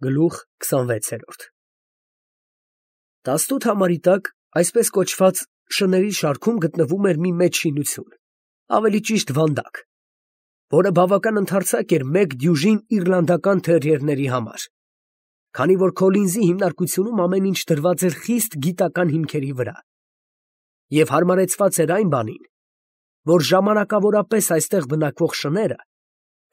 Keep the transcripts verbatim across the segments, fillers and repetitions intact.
Գլուխ քսանվեցերորդ Տասնութ համարի տակ այսպես կոչված շների շարքում գտնվում էր մի մեծ շինություն, ավելի ճիշտ վանդակ, որը բավական ընդարձակ էր մեկ դյուժին իռլանդական թերիերների համար, քանի որ Քոլինզի հիմնարկությունում ամեն ինչ դրված էր խիստ գիտական հիմքերի վրա, և հարմարեցված էր այն բանին, որ ժամանակավորապես այստեղ բնակվող շները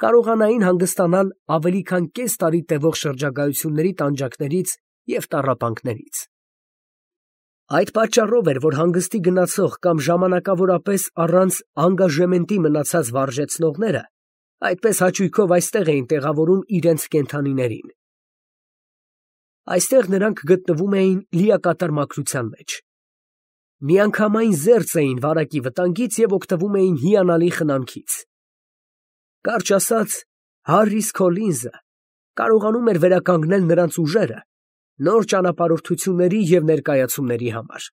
կարողանային հանգստանալ ավելի քան կես տարի տևող շրջագայությունների տանջանքներից և տառապանքներից։ Այդ պատճառով էր, որ հանգստի գնացող կամ ժամանակավորապես առանց անգաժեմենտի մնացած վարժեցնողները այդպես հաճույքով այստեղ էին տեղավորում իրենց կենդանիներին։ Այստեղ նրանք գտնվում էին լիակատար մաքրության մեջ։ Միանգամայն զերծ էին վարակի վտանգից և օգտվում էին հիանալի խնամքից։ Կարճ ասած, Հարրիս Քոլինզը կարողանում էր վերականգնել նրանց ուժերը նոր ճանապարհորդությունների և ներկայացումների համար։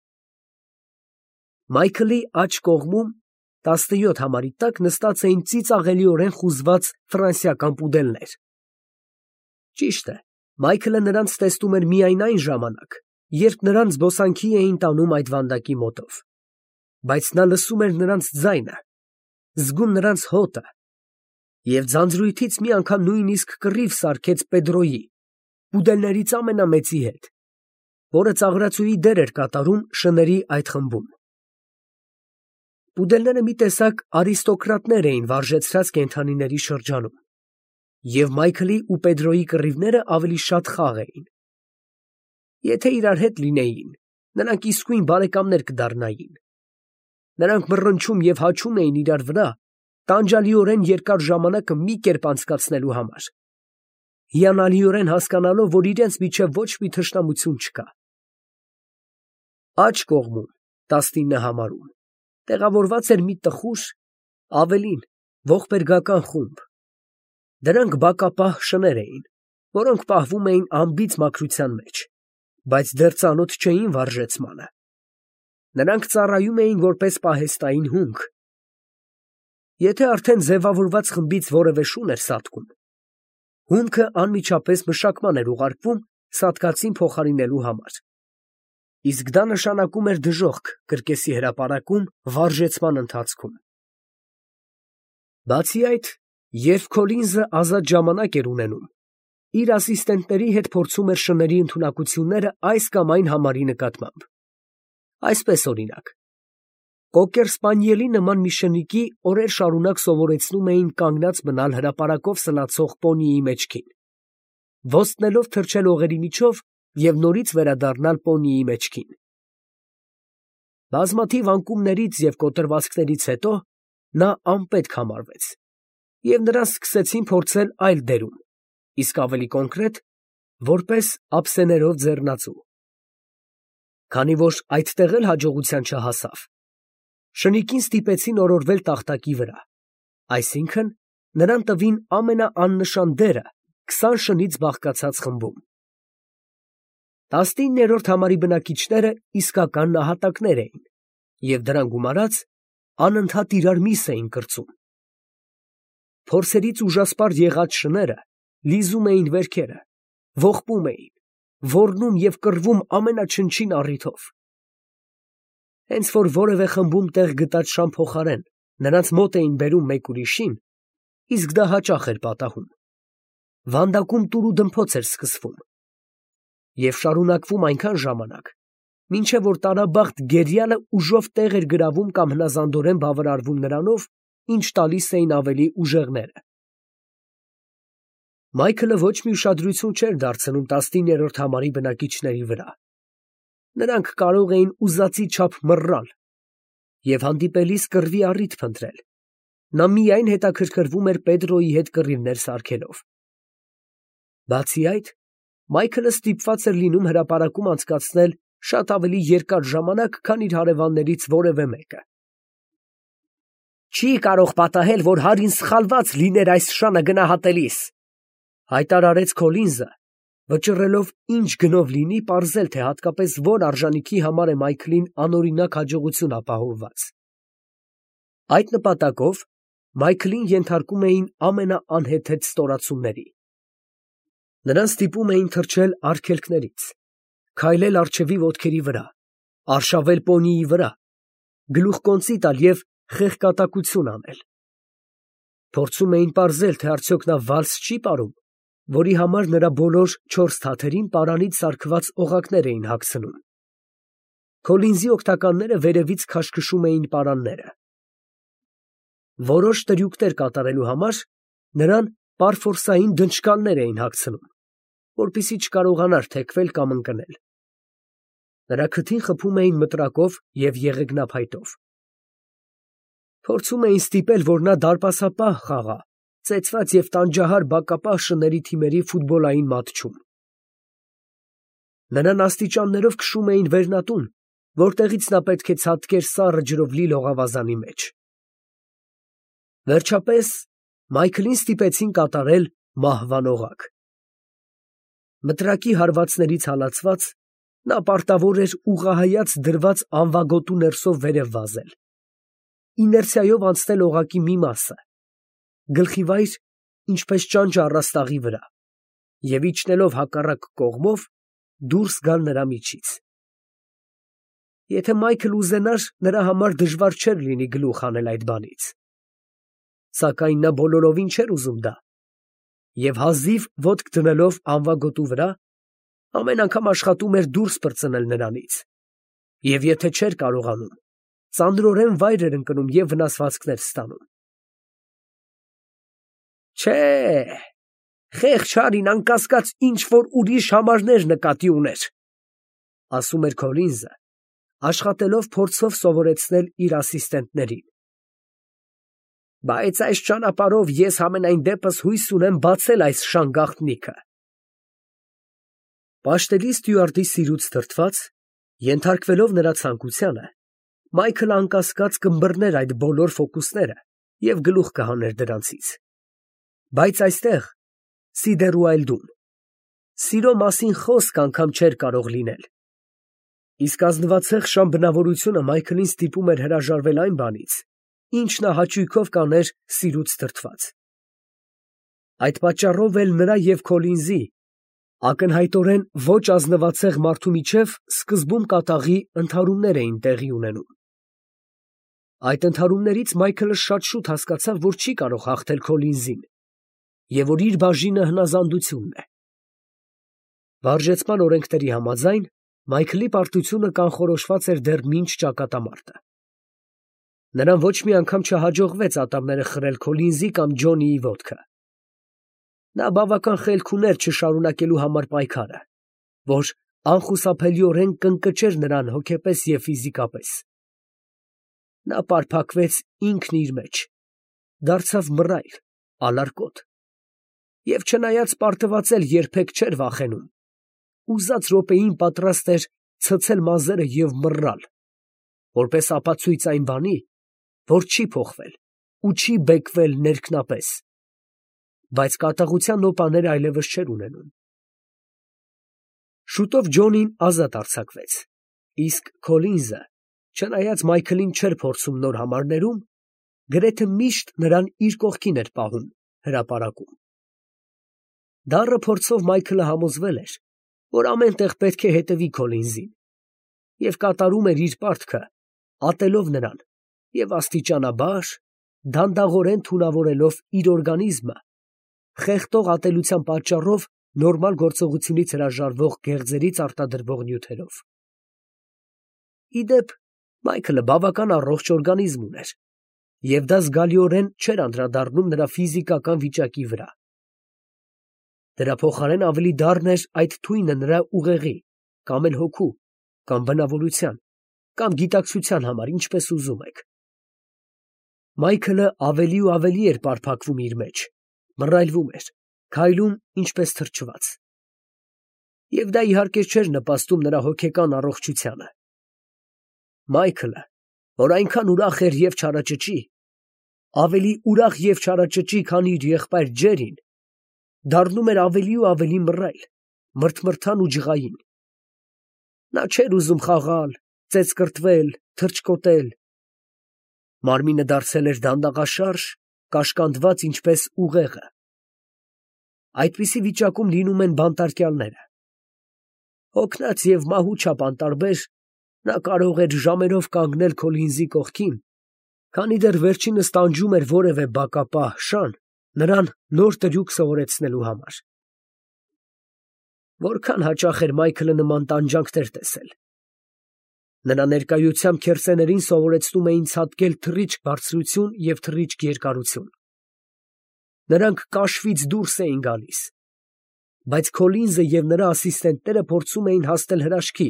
Մայքլի աջ կողմում տասնյոթ համարի տակ նստած էին ծիծաղելիորեն խուզված ֆրանսիական պուդելներ։ Ճիշտ է, Մայքլը նրանց տեսնում էր միայն այն ժամանակ, երբ նրանց զբոսանքի էին տանում այդ վանդակի մոտով, բայց նա լսում էր նրանց ձայնը, զգում նրանց հոտը և ձանձրույթից մի անգամ նույնիսկ կռիվ սարքեց Պեդրոյի, պուդելներից ամենամեծի հետ, որը ծաղրածուի դեր էր կատարում շների այդ խմբում։ Պուդելները մի տեսակ արիստոկրատներ էին վարժեցրած կենդանիների շրջանում, և Մայքլի ու Պեդրոյի կռիվները ավելի շատ խաղ էին։ Եթե իրար հետ լինեին, նրանք իսկույն բարեկամներ կդառնային։ Նրանք մռնչում և հաչում էին իրար վրա, տանջալիորեն երկար ժամանակը մի կերպ անցկացնելու համար, հիանալիորեն հասկանալով, որ իրենց միջև ոչ մի թշնամություն չկա։ Աջ կողմում, տասնինը համարում, տեղավորված էր մի տխուր, ավելին, ողբերգական խումբ։ Դրանք բակապահ շներ էին, որոնք պահվում էին անբիծ մաքրության մեջ, բայց դեռ ծանոթ չէին վարժեցմանը։ Նրանք ծառայում էին որպես պահեստային հունք։ Եթե արդեն ձևավորված խմբից որևէ շուն էր սատկում, հունքը անմիջապես մշակման էր ուղարկվում սատկածին փոխարինելու համար, իսկ դա նշանակում էր դժոխք կրկեսի հրապարակում վարժեցման ընթացքում։ Բացի այդ, երբ Քոլինզը ազատ ժամանակ էր ունենում, իր ասիստենտների հետ փորձում էր շների ընդունակությունները այս կամ այն համարի նկատմամբ։ Այսպես օրինակ, կոկեր սպանիելի նման մի շնիկի օրեր շարունակ սովորեցնում էին կանգնած մնալ հրապարակով սլացող պոնիի մեջքին, ոստնելով թռչել օղերի միջով և նորից վերադառնալ պոնիի մեջքին։ Բազմաթիվ անկումներից և կոտրվածքներից հետո նա անպետք համարվեց, և նրան սկսեցին փորձել այլ դերում, իսկ ավելի կոնկրետ, որպես ափսեներով ձեռնածու։ Քանի որ այդտեղ էլ հաջողության չհասավ, շնիկին ստիպեցին օրորվել տախտակի վրա, այսինքն նրան տվին ամենաաննշան դերը քսան շնից բաղկացած խմբում։ Տասնիններորդ համարի բնակիչները իսկական նահատակներ էին և դրան գումարած անընդհատ իրար միս էին կրծում։ Փորձերից ուժասպառ եղած շները լիզում էին վերքերը, ողբում էին, ոռնում և կռվում ամենաչնչին առիթով։ Հենց որ որևէ խմբում տեղ գտած շան փոխարեն նրանց մոտ էին բերում մեկ ուրիշին, իսկ դա հաճախ էր պատահում, վանդակում տուրուդմփոց էր սկսվում և շարունակվում այնքան ժամանակ, մինչև որ տարաբախտ գերիալը ուժով տեղ էր գրավում կամ հնազանդորեն բավարարվում նրանով, ինչ տալիս էին ավելի ուժեղները։ Մայքլը ոչ մի ուշադրություն չէր դարձնում տասնիններորդ համարի բնակիչների վրա։ Նրանք կարող էին ուզածի չափ մռռալ և հանդիպելիս կռվի առիթ փնտրել, նա միայն հետաքրքրվում էր Պեդրոյի հետ կռիվներ սարքելով։ Բացի այդ, Մայքլը ստիպված էր լինում հրապարակում անցկացնել շատ ավելի երկար ժամանակ, քան իր հարևաններից որևէ մեկը։ «Չի կարող պատահել, որ Հարրին սխալված լիներ այս շանը գնահատելիս», հայտարարեց Քոլինզը, վճռելով ինչ գնով լինի պարզել, թե հատկապես որ արժանիքի համար է Մայքլին անօրինակ հաջողություն ապահովված։ Այդ նպատակով Մայքլին ենթարկում էին ամենաանհեթեթ ստորացումների։ Նրան ստիպում էին թռչել արգելքներից, քայլել առջևի ոտքերի վրա, արշավել պոնիի վրա, գլուխկոնծի տալ և խեղկատակություն անել։ Փորձում էին պարզել, թե արդյոք նա վալս չի պարում, որի համար նրա բոլոր չորս թաթերին պարանից սարքված օղակներ էին հագցնում։ Քոլինզի օգնականները վերևից քաշքշում էին պարանները։ Որոշ տրյուկներ կատարելու համար նրան պարֆորսային դնչկալներ էին հագցնում, որպեսզի չկարողանար թեքվել կամ ընկնել։ Նրա քթին խփում էին մտրակով և եղեգնափայտով։ Փորձում էին ստիպել, որ նա դարպասապահ խաղա ծեծված և տանջահար բակապահ շների թիմերի ֆուտբոլային մատչում։ Նրան աստիճաններով քշում էին վերնատուն, որտեղից նա պետք է ցատկեր սառը ջրով լի լողավազանի մեջ։ Վերջապես Մայքլին ստիպեցին կատարել մահվան օղակ։ Մտրակի հարվածներից հալածված, նա պարտավոր էր ուղղահայաց դրված անվագոտու ներսով վերև վազել, իներցիայով անցնել օղակի մի մասը, գլխիվայր, ինչպես ճանճը առաստաղի վրա, և իջնելով հակառակ կողմով դուրս գալ նրա միջից։ Եթե Մայքլը ուզենար, նրա համար դժվար չէր լինի գլուխ հանել այդ բանից։ Սակայն նա բոլորովին չէր ուզում դա, և հազիվ ոտք դնելով անվագոտու վրա, ամեն անգամ աշխատում էր դուրս պրծնել նրանից, և եթե չէր կարողանում, ծանրորեն վայր էր ընկնում և վնասվածքներ ստանում։ Չէ, խեղճ Հարին անկասկած ինչ֊որ ուրիշ համարներ նկատի ուներ, ասում էր Քոլինզը, աշխատելով փորձով սովորեցնել իր ասիստենտներին։ Բայց այս ճանապարհով ես համենայն դեպս հույս ունեմ բացել այս շան գաղտնիքը։ Պաշտելի ստյուարդի սիրուց դրդված, ենթարկվելով նրա ցանկությանը, Մայքլը անկասկած կըմբռներ այդ բոլոր ֆոկուսները և գլուխ կհաներ դրանցից։ Բայց այստեղ, Սիդերուայլդում, սիրո մասին խոսք անգամ չէր կարող լինել։ Իսկ ազնվացեղ շան բնավորությունը Մայքլին ստիպում էր հրաժարվել այն բանից, ինչ նա հաճույքով կաներ սիրուց դրդված։ Այդ պատճառով էլ նրա և Քոլինզի, ակնհայտորեն ոչ ազնվացեղ մարդու միջև սկզբում կատաղի ընդհարումներ էին տեղի ունենում։ Այդ ընդհարումներից Մայքլը շատ շուտ հասկացավ, որ չի կարող հաղթել Քոլինզին, և որ իր բաժինը հնազանդությունն է։ Վարժեցման օրենքների համաձայն, Մայքլի պարտությունը կանխորոշված էր դեռ մինչ ճակատամարտը։ Նրան ոչ մի անգամ չհաջողվեց ատամները խրել Քոլինզի կամ Ջոնիի ոտքը։ Նա բավական խելք ուներ չշարունակելու համար պայքարը, որ անխուսափելիորեն կընկճեր նրան հոգեպես և ֆիզիկապես։ Նա պարփակվեց ինքն իր մեջ, դարձավ մռայլ, ալարկոտ, և չնայած պարտվածել երբեք չէր վախենում, ուզած րոպեին պատրաստ էր ցցել մազերը և մռալ, որպես ապացույց այն բանի, որ չի փոխվել ու չի բեկվել ներքնապես, բայց կատաղության նոպաներ այլևս չէր ունենում։ Շուտով Ջոնին ազատ արձակվեց, իսկ Քոլինզը, չնայած Մայքլին չէր փորձում նոր համարներում, գրեթե միշտ նրան իր կողքին էր պահում հրապարակում։ Դառը փորձով Մայքլը համոզվել էր, որ ամեն տեղ պետք է հետևի Քոլինզին, և կատարում էր իր պարտքը, ատելով նրան և աստիճանաբար, դանդաղորեն թունավորելով իր օրգանիզմը խեղդող ատելության պատճառով նորմալ գործողությունից հրաժարվող գեղձերից արտադրվող նյութերով։ Ի դեպ, Մայքլը բավական առողջ օրգանիզմ ուներ, և դա զգալիորեն չէր անդրադառնում նրա ֆիզիկական վիճակի վրա։ Դրա փոխարեն ավելի դառն էր այդ թույնը նրա ուղեղի, կամ էլ հոգու, կամ բնավորության, կամ գիտակցության համար, ինչպես ուզում եք։ Մայքլը ավելի ու ավելի էր պարփակվում իր մեջ, մռայլվում էր, քայլում ինչպես թրջված։ Եվ դա իհարկե չէր նպաստում նրա հոգեկան առողջությանը։ Մայքլը, որ այնքան ուրախ էր և չարաճճի, ավելի ուրախ և չարաճճի, քան իր եղբայր Ջերին, դառնում էր ավելի ու ավելի մռայլ, մրթմրթան ու ջղային։ Նա չէր ուզում խաղալ, ծեծկռտվել, թռչկոտել։ Մարմինը դարձել էր դանդաղաշարժ, կաշկանդված ինչպես ուղեղը։ այդպիսի վիճակում լինում են բանտարկյալները։ Հոգնած և մահու չափ անտարբեր, նա կարող էր ժամերով կանգնել Քոլինզի կողքին, քանի դեռ վերջինս տանջում էր որևէ բակապահ շան նրան նոր տրյուկ սովորեցնելու համար։ Որքան հաճախ էր Մայքլը նման տանջանքներ տեսել։ Նրա ներկայությամբ քերծեներին սովորեցնում էին ցատկել թռիչք բարձրություն և թռիչք երկարություն։ Նրանք կաշվից դուրս էին գալիս, բայց Քոլինզը և նրա ասիստենտները փորձում էին հասնել հրաշքի,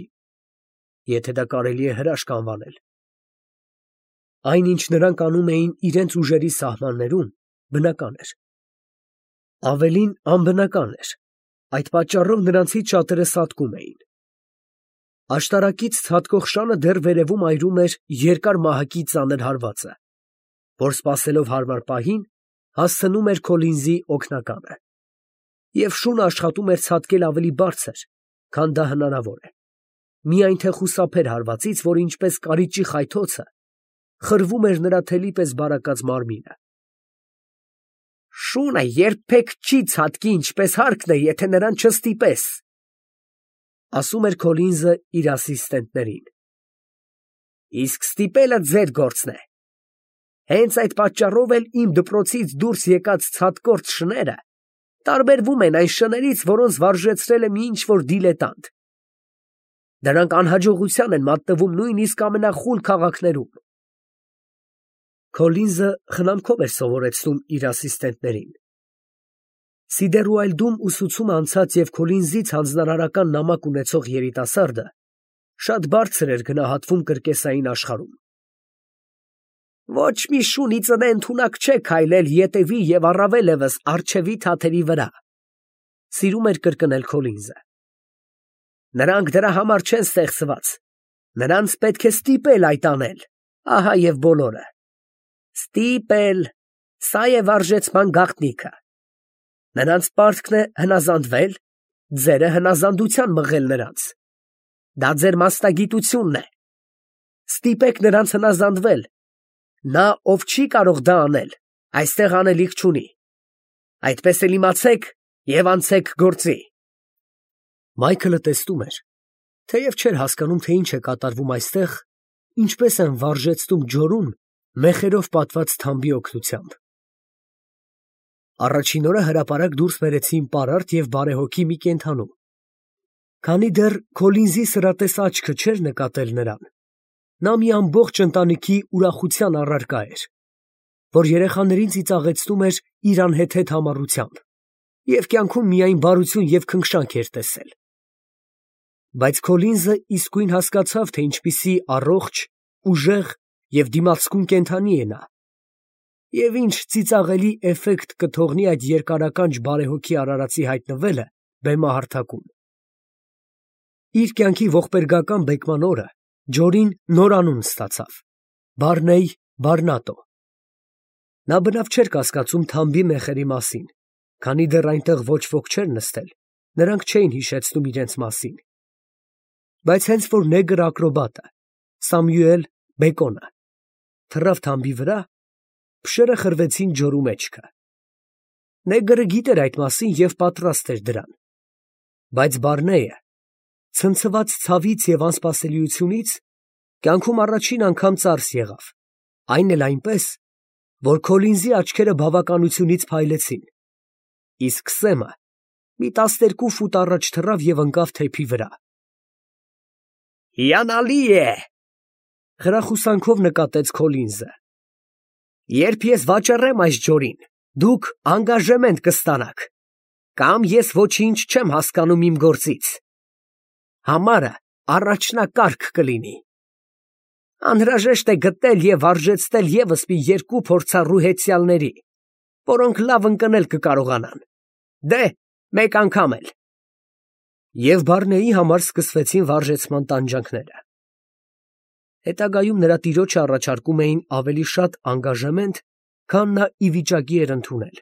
եթե դա կարելի է հրաշք անվանել։ Այն, ինչ նրանք անում էին իրենց ուժերի սահմաններում, բնական էր։ Ավելին, անբնական էր, այդ պատճառով նրանցից շատերը սատկում էին։ Աշտարակից ցատկող շանը դեռ վերևում այրում էր երկար մահակի ծանր հարվածը, որ սպասելով հարմար պահին, հասցնում էր Քոլինզի օգնականը, և շունը աշխատում էր ցատկել ավելի բարձր, քան դա հնարավոր է, միայն թե խուսափեր հարվածից, որ ինչպես կարիճի խայթոցը խրվում էր նրա թելի պես բարակած մարմինը։ Շունը երբեք չի ցատկի ինչպես հարկն է, եթե նրան չստիպես, ասում էր Քոլինզը իր ասիստենտներին։ Իսկ ստիպելը ձեր գործն է։ Հենց այդ պատճառով էլ իմ դպրոցից դուրս եկած ցատկործ շները տարբերվում են այն շներից, որոնց վարժեցրել է մի ինչ-որ դիլետանտ։ Դրանք անհաջողության են մատնվում նույնիսկ ամենախուլ քաղաքներում։ Քոլինզը խնամքով էր սովորեցնում իր ասիստենտներին։ Սիդերուայլդում ուսուցումը անցած և Քոլինզից հանձնարարական նամակ ունեցող երիտասարդը շատ բարձր էր գնահատվում կրկեսային աշխարհում։ Ոչ մի շուն ի ծնե ընդունակ չէ քայլել ետևի և առավել ևս առջևի թաթերի վրա, սիրում էր կրկնել Քոլինզը։ Նրանք դրա համար չեն ստեղծված, նրանց պետք է ստիպել այդ անել, ահա և բոլորը։ Ստիպել, սա է վարժեցման գաղտնիքը։ Նրանց պարտքն է հնազանդվել, ձերը հնազանդության մղել նրանց։ Դա ձեր մասնագիտությունն է։ Ստիպեք նրանց հնազանդվել։ Նա, ով չի կարող դա անել, այստեղ անելիք չունի։ Այդպես էլ իմացեք և անցեք գործի։ Մայքլը տեսնում էր, թեև չէր հասկանում, թե ինչ է կատարվում այստեղ, ինչպես են վարժեցնում ջորուն մեխերով պատված թամբի օգնությամբ։ Առաջին օրը հրապարակ դուրս բերեցին պարարտ և բարեհոգի մի կենդանու։ Քանի դեռ Քոլինզի սրատես աչքը չէր նկատել նրան, նա մի ամբողջ ընտանիքի ուրախության առարկա էր, որ երեխաներին ծիծաղեցնում էր իր անհեթեթ համառությամբ և կյանքում միայն բարություն և քնքշանք էր տեսել։ Բայց Քոլինզը իսկույն հասկացավ, թե ինչպիսի առողջ, ուժեղ և դիմացկուն կենդանի է նա, և ինչ ծիծաղելի էֆեկտ կթողնի այդ երկարականջ բարեհոգի արարածի հայտնվելը բեմահարթակում։ Իր կյանքի ողբերգական բեկման օրը ջորին նոր անուն ստացավ՝ Բարնեյ Բարնատո։ Նա բնավ չէր կասկածում թամբի մեխերի մասին, քանի դեռ այնտեղ ոչ ոք չէր նստել, նրանք չէին հիշեցնում իրենց մասին։ Բայց հենց որ նեգր ակրոբատը Սամյուել Բեկոնը թռավ թամբի վրա, փշերը խրվեցին ջորու մեջքը։ Նեգրը գիտեր այդ մասին և պատրաստ էր դրան։ Բայց Բարնեյը, ցնցված ցավից և անսպասելիությունից, կյանքում առաջին անգամ ծարս եղավ, այն էլ այնպես, որ Քոլինզի աչքերը բավականությունից փայլեցին, իսկ սեմը մի տասներկու ֆուտ առաջ թռավ և ընկավ թեփի վրա։ Հիանալի է, խրախուսանքով նկատեց Քոլինզը։ Երբ ես վաճառեմ այս ջորին, դուք անգաժեմենտ կստանաք, կամ ես ոչինչ չեմ հասկանում իմ գործից։ Համարը առաջնակարգ կլինի։ Անհրաժեշտ է գտնել և վարժեցնել ևս մի երկու փորձառու հեծյալների, որոնք լավ ընկնել կկարողանան։ Դե, մեկ անգամ էլ։ Եվ Բարնեի համար սկսվեցին վարժեցման տանջանքները։ Հետագայում նրա տիրոջը առաջարկում էին ավելի շատ անգաժեմենտ, քան նա ի վիճակի էր ընդունել։